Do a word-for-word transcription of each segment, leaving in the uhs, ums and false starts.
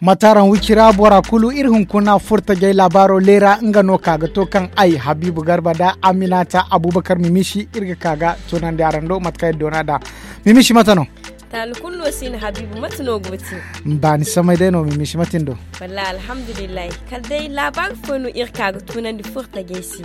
Mataaraŋ wicira bora kulu iri hunkuna furtajey laabaaro leera nga no ka ga to kaŋ ay habiibu garba nda aminata abubakar mimisi iri ga ka ga tunandi araŋ do mate kaŋ iri doona nd'a. Mimisi mate no? Taali kulu no si no habiibu mate no go ti? Baani samay day no mimisi mate ni do? Wallaahi alhamdulillahi. Kala day laabaari fooyaŋ no iri ka ga tunandi furtajey se.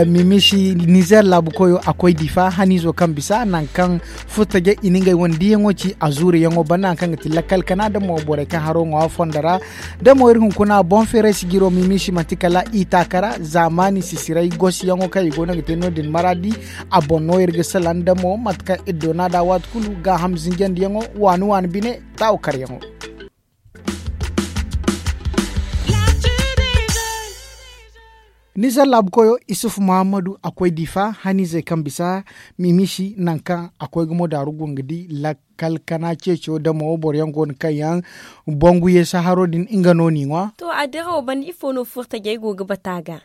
Mimisi nizer laabu koyo a koy difa haniizo kaŋ bisa nangu kaŋ furtajey i na ngey wane diiyaŋo ci a zuuriyaŋo banda nangu kaŋ ga ti lakkal kana da mo borey kaŋ haro ŋwa fondo ra. Da mo iri hunkuna boŋ feeray sijiro mimisi manti kala i taaka ra zaamaani sisiray gosiyaŋo kaŋ i go no ga te no- din maraadi. A boŋ no iri ga salaŋ da mo mate kaŋ iri doona nd'a waati kulu gaaham zinjandiyaŋo waani waani bine taawakaryaŋo. Nizer laabu koyo isufu muhammadu a koy difa haniizey kaŋ bisa mimisi nangu kaŋ a koy ga mo daaru go nga di lakkal kana ceeco da mo boro yaŋ go no kaŋ yaŋ bangu yeesa haro din nga no n'i ŋwa. To a dirawo banda ifo no furtajey go ga bata ga?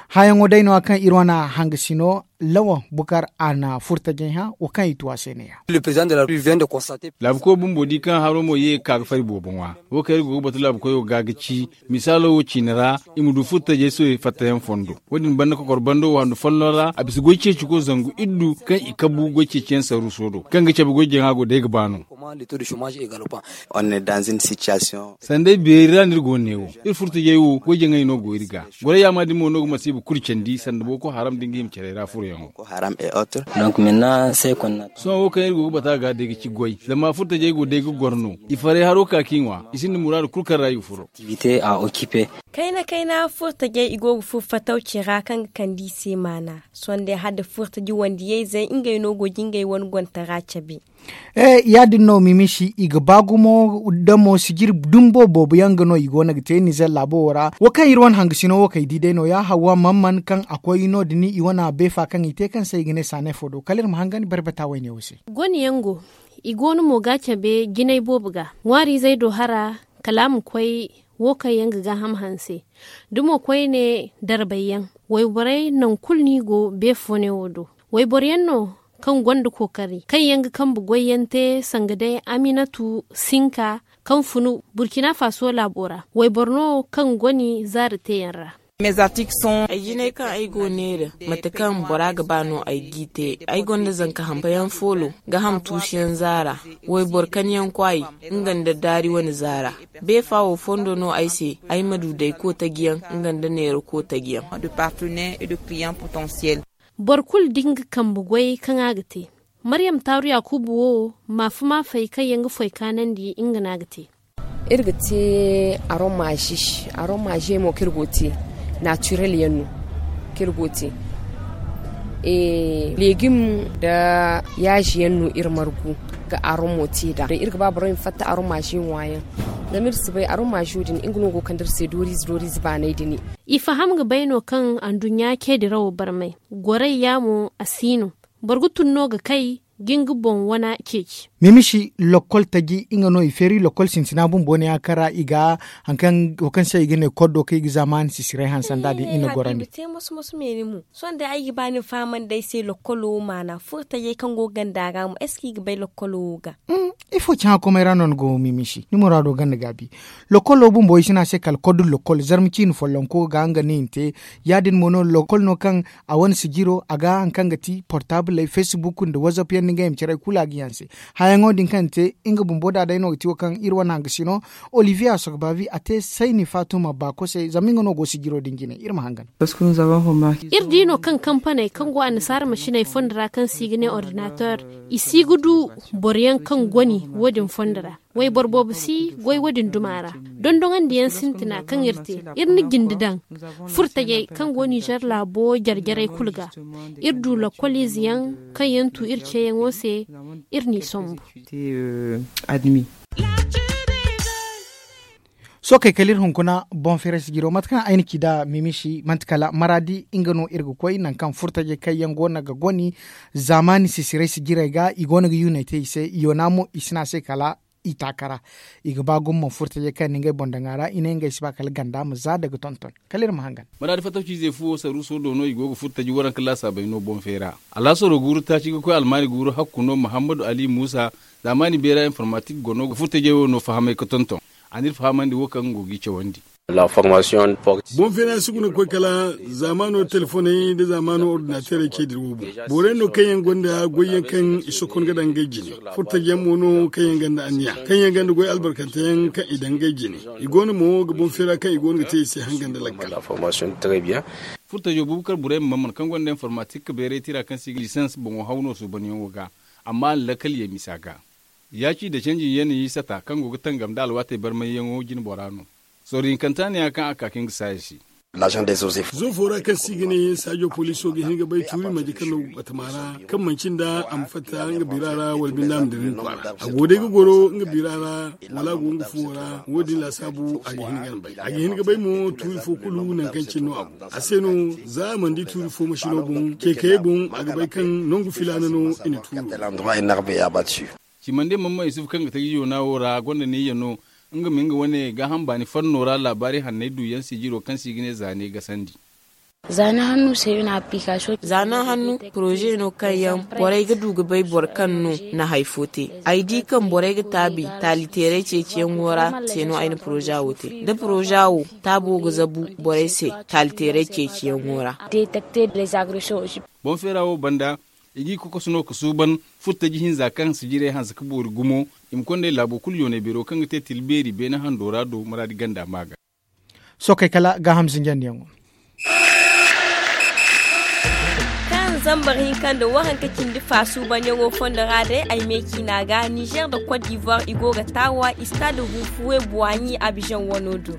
Hayaŋo day no- ya kaŋ iri wane hangasino lawan bukar a na furtajey hã wo kaŋ i tu a se ne- ya. Laabuko bumbo di kaŋ haro mo ye ga ka ga fari boobo ŋwa. Wo kaŋ iri go ga batu laabukoyo ga ga ci misaalo wo ciine ra i ma du furtajey sohõ fattayaŋ fondo. Wo- din banda kokor bando waanu folloŋ ra a bisa goy ceeciko zangu iddu kaŋ i kabu goy ceeciyaŋ saruuso do kaŋ ga cabe goy jaŋa go day ga ba no. Sanda ay beeri ra no iri go no ne wo iri furtajey wo goy jaŋay no go iri ga. Goray yaama din mo no ga masiiba kulu candi sanda booko haram da nga hima carey ra furoyaŋo. Sohõ wo kaŋ iri go ga bata ga day ga ci goy zama furtajey go day ga goro no. I faray haro ka k'i ŋwa i sinda muraadu kulu kaŋ ra i ga furo. Kayna kayna furtajey i go ga furo fatawci ra kaŋ ga kande i se maana. Sohõ day hala da furtaji wandiyayzey ngey no go ga ngey wane gontara cabe. Ya- din no mimisi i ga ba gumo da mo sijiri dumbo boobo yaŋ ga no i go no ga te nizer laabo wo ra wo kaŋ iri wane hangasino wo kaŋ i di day no- ya hawwa man man kaŋ a koy no- din i wane beefa kaŋ i te kaŋ se i ga ne saanay fo do kala iri ma hangan barbata wayne wo se. Gone yaŋ go i go no mo ga cabe jinay boobo ga ŋwaariizey do hara kala a ma koy wo kaŋ yaŋ ga gaaham hanse. Da mo koyne darbay yaŋ wayborey nangu kulu no i go beefo ne wo do. Wayboro yaŋ no kaŋ gonda kookari kaŋ yaŋ ga kambe goy yaŋ te sanga day aminatu sinka kaŋ funu burkina faso laabo ra wayboro no kaŋ goni zaari teeyaŋ ra. Ay jinay kaŋ ay go neera mate kaŋ bora ga ba no ay g'i te. Ay gonda zanka hampa yaŋ foolo ga ham tuusu yaŋ zaara. Wayboro kan yaŋ kwaay nga nda daari wane zaara. Beefa wo fondo no ay se ay ma du day kootaji yaŋ nga nda neera kootaji yaŋ. Boro kulu da nga kambe goy kaŋ a ga te. Maryam taaru yaakuubu wo maafa maafey kaŋ yaŋ ga foy kaanandi nga no a ga te. Iri ga te aromazi aromazi mo kaŋ iri go ga te naatirel yaŋ no kaŋ iri go ga te. Legim nda yaazi yaŋ no iri margu ga aromo te nd'a iri ga ba borey ma fatta aromazi ŋwa yaŋ. Zama iri si bay aromazi wo din nga no go ga kande iri se dooriize dooriize baanay din. I faham ga bay no kaŋ anduɲɲa ceedirawo barmay. Gorayya mo a si no. Boro ga tun no ga kay ga nga boŋ wana ceeci. Mimisi lokkol taji nga no i feeri lokkol sintina bumbo ne a kara i ga hari kaŋ se i ga ne koddo kaŋ i ga zaamaani sisiray hanse nd'a din i na gorandi. Sohõ day ay ga ba ni fahamandi ay se lokkolo wo maana furo tajey kaŋ go ga ganda ra mo est ce que i ga bay lokkolo wo ga? Ifo caŋa komey ra no ni go mimisi ni muraado ganda gaabi. Lokkolo bumbo i si ne a se kala koddo lokkol zarma ciine follonko ga nga no i na te. Ya- din mo no lokkol no kaŋ a wane sijiro a ga hari kaŋ ga ti portabley facebook nda whatsapp yaŋ nda ngey ma care kulu a ga yaŋ se. Hayaŋo din kaŋ te nga bumbo da day no ga ti wo kaŋ iri wane hangasino olivier a soga baabi a te sayni faatuma baako se zama nga no go sijiro din jine iri ma hangan. Iri di no kaŋ kampaney kaŋ go annasaara masiney fondo ra kaŋ se i ga ne ordinateur i si ga du boro yaŋ kaŋ goni wo- din fondo ra. Wayboro boobo si goy wo- din duma ra. Dondoŋandiyaŋ sintina kaŋ iri te iri na jinde daŋ furo tajey kaŋ go nizer laabo jare jarey kulu ga. Iri du lokkol ize yaŋ kaŋ yaŋ tu iri ceeyaŋo se iri n'i sombu. Sookey kala iri hunkuna boŋ feeray sijiro mate kaŋ ay na ci nd'a mimisi manti kala maraadi nga no iri ga koy nangu kaŋ furo tajey kaŋ yaŋ go no ga goni zaamaani sisiray sijirey ga i go no ga yuunay te i se yoona mo i si ne a se kala. i taaka ra. I ga ba gumo furtajey kaŋ ni ngey boŋ daŋ a ra i ne ngey si ba kala ganda ma za daga tonton. Kala iri ma hangan. Maraadi fattaw ciizey fuwo saruuso do no i go ga furtaji waranka laasaabey no boŋ feera. Alaasaro guuru taaci ga koy almaani guuru hakku no muhammadu ali muusa. Zaamaani beera informatik go no ga furtajey wo no fahamay ga tonton. A n'iri fahamandi wo kaŋ go g'i cawandi. Boŋ feera si guna ga koy kala zaamaano telefoney nda zaamaano ordinateerey ce dira wo boŋ. Borey no kaŋ yaŋ gonda goyyaŋ kaŋ i sokon ga daŋ ngey jine. Furtaji yaŋ mo no kaŋ yaŋ gonda anniya kaŋ yaŋ gonda goy albarkanteyaŋ kaŋ i daŋ ngey jine. I go no mo ga boŋ feera kaŋ i go no ga te i se hanga nda lakkal. Furtajo bubakar burayma mamman kaŋ gonda informatik beeray tira kaŋ se i ga lisans boŋo haw no suubanyaŋo ga. Amma a na lakkal ye misa ga. Yaaci nda canji yanayi sata kaŋ go ga tangam nda alwaatey barmayyaŋo jine bora no. Sorro hinkanta neeya kaŋ a ka ka nga saaya se. Zo fo ra kaŋ se i ga ne saajo poliso ga hin ga bay tuuri manje kaŋ no batama ra kaŋ manci nda a ma fatta nga bira ra wala binde a ma dira nga kwaara. A go day ga goro nga bira ra wala a go nga fuwo ra. Wo- din laasaabu a ga hin ga bay a ga hin ga bay mo tuuri fo kulu nangu kaŋ cine no a go a se no. Za a mana di tuuri fo masino boŋ ceekayey boŋ a ga bay kaŋ nangu filaana no i na tuuro. Cimande mamman isufu kaŋ ga taji yoona wo ra gonda neeya no. Nga ma nga wane gaaham baani fanno ra laabaari hanney duyaŋ sijiro kaŋ se i ga ne zaane gasandi. Zaane hannu se i na application. Zaane hannu poroze no kaŋ yaŋ borey ga du ga bay boro kaŋ no na hari fo te. Ay di kaŋ borey ga taabi taaliteerey ceeciyaŋo ra se no ay na poroza wo te da poroza wo taabo ga zabu borey se. Taaliteerey ceeciyaŋo ra. Boŋ feera wo banda i g'i kokoso no ga suuban furtaji hinza kaŋ sijirey hanse ga boori gumo. I ma kond'ey laabo kulu yoonay beero kaŋ ga te tila beeri beene hando ra do maraadi ganda ma ga. Sookey kala gaaham zinjandiyaŋo. Kaŋ zambar hinka nda waranka cindi fa suubanyaŋo fondo ra day ay me ciina ga nizer nda kot divoire i go ga taawa istade huufuwe buwaɲi abizaŋ wano do.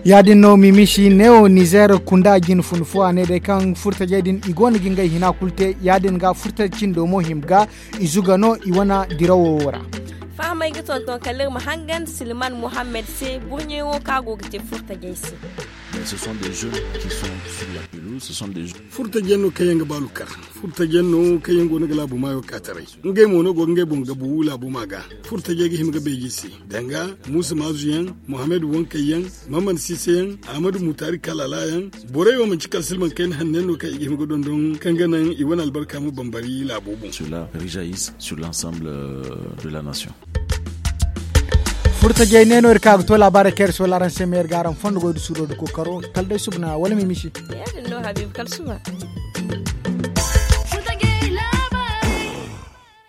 Ya- din no mimisi neewo nizer kunda jine fun fo a ne day kaŋ furtajey din i go no ga ngey hina kulu te ya- din ga furtaji cindo mo hima ga. I zuga no i wane dirawo wo ra. Fahamey ga tonton kala iri ma hangan silman muhammad se burɲey wo kaŋ a go ga te furtajey se. Furtaji yaŋ no kaŋ yaŋ ga baalu kar. Furtaji yaŋ no kaŋ yaŋ go no ga laabu maayo ka taray. Ngey mo no go ga ngey boŋ gabu laabu ma ga. Furtajey ga hima ga beeji se danga muusa maazu yaŋ, muhammad wankey yaŋ, maman siise yaŋ, ahmadu mutaari kalala yaŋ. Borey wo manci kala silman kayna hanno yaŋ no kaŋ i ga hima ga dondon kaŋ ga naŋ i wane albarka ma bambari laabo boŋ. Furtajey ne no iri ka ga to laabaarey kaŋ iri soola araŋ se ma iri ga araŋ fondo goy da suuro da kookaro kala day subana wala mimisi. Ya- din no habiibu kala suba.